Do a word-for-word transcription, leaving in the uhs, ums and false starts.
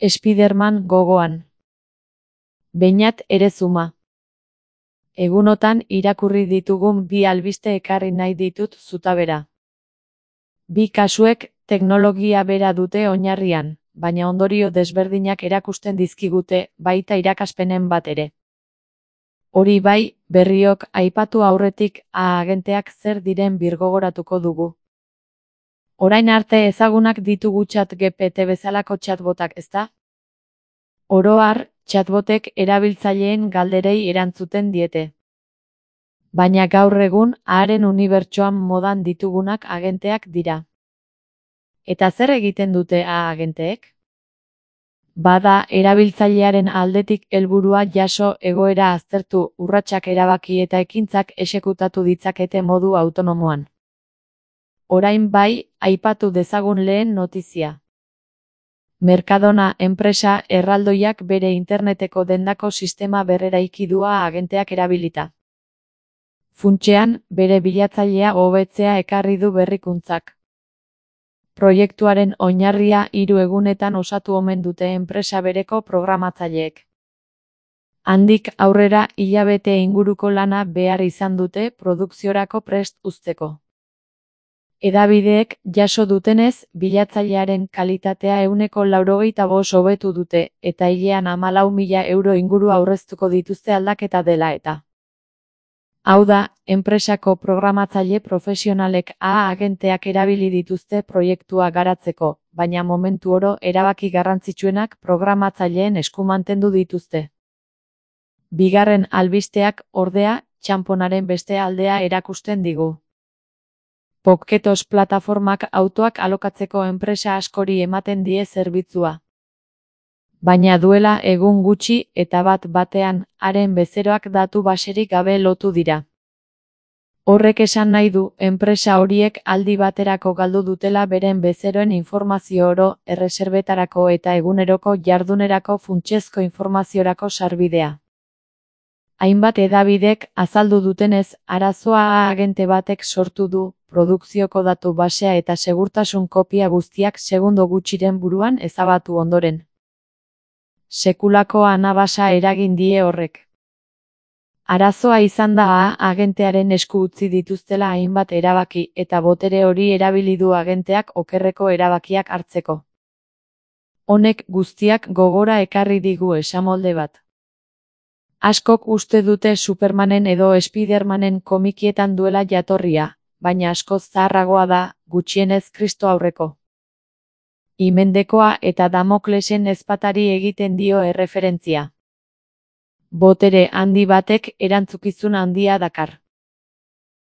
Spiderman gogoan. Beñat ere zuma. Egunotan irakurri ditugun bi albiste ekarri nahi ditut zutabera. Bi kasuek teknologia bera dute oinarrian, baina ondorio desberdinak erakusten dizkigute, baita irakaspenen bat ere. Hori bai, berriok aipatu aurretik A-agenteak zer diren birgogoratuko dugu. Orain arte ezagunak ditugu chat G P T bezalako chatbotak, ezta? Oro har, chatbotek erabiltzaileen galderei erantzuten diete. Baina gaur egun, haren unibertsoan modan ditugunak agenteak dira. Eta zer egiten dute A-agenteek? Bada, erabiltzailearen aldetik helburua jaso, egoera aztertu, urratsak erabaki eta ekintzak exekutatu ditzakete modu autonomoan. Orain bai, aipatu dezagun lehen notizia. Mercadona enpresa erraldoiak bere interneteko dendako sistema berreraiki du A-agenteak erabilita. Funtsean, bere bilatzailea hobetzea ekarri du berrikuntzak. Proiektuaren oinarria hiru egunetan osatu omen dute enpresa bereko programatzaileek. Handik aurrera hilabete inguruko lana behar izan dute produkziorako prest uzteko. Hedabideek jaso dutenez, bilatzailearen kalitatea ehuneko laurogeita bost hobetu dute, eta hilean hamalau mila euro inguru aurreztuko dituzte aldaketa dela eta. Hau da, enpresako programatzaile profesionalek A-agenteak erabili dituzte proiektua garatzeko, baina momentu oro erabaki garrantzitsuenak programatzaileen esku mantendu dituzte. Bigarren albisteak, ordea, txanponaren beste aldea erakusten digu. Pokketos plataformak autoak alokatzeko enpresa askori ematen die zerbitzua. Baina duela egun gutxi eta bat batean, haren bezeroak datu baserik gabe lotu dira. Horrek esan nahi du, enpresa horiek aldi baterako galdu dutela beren bezeroen informazio oro, erreserbetarako eta eguneroko jardunerako funtsezko informaziorako sarbidea. Hainbat hedabidek azaldu dutenez, arazoa A-agente batek sortu du, produkzioko datu basea eta segurtasun kopia guztiak segundo gutxiren buruan ezabatu ondoren. Sekulako anabasa eragin die horrek. Arazoa izan da A-agentearen esku utzi dituztela hainbat erabaki eta botere hori erabili du agenteak okerreko erabakiak hartzeko. Honek guztiak gogora ekarri digu esamolde bat. Askok uste dute Supermanen edo Spidermanen komikietan duela jatorria, baina askoz zaharragoa da, gutxienez Kristo aurreko. Himendekoa eta Damoklesen ezpatari egiten dio erreferentzia. Botere handi batek erantzukizun handia dakar.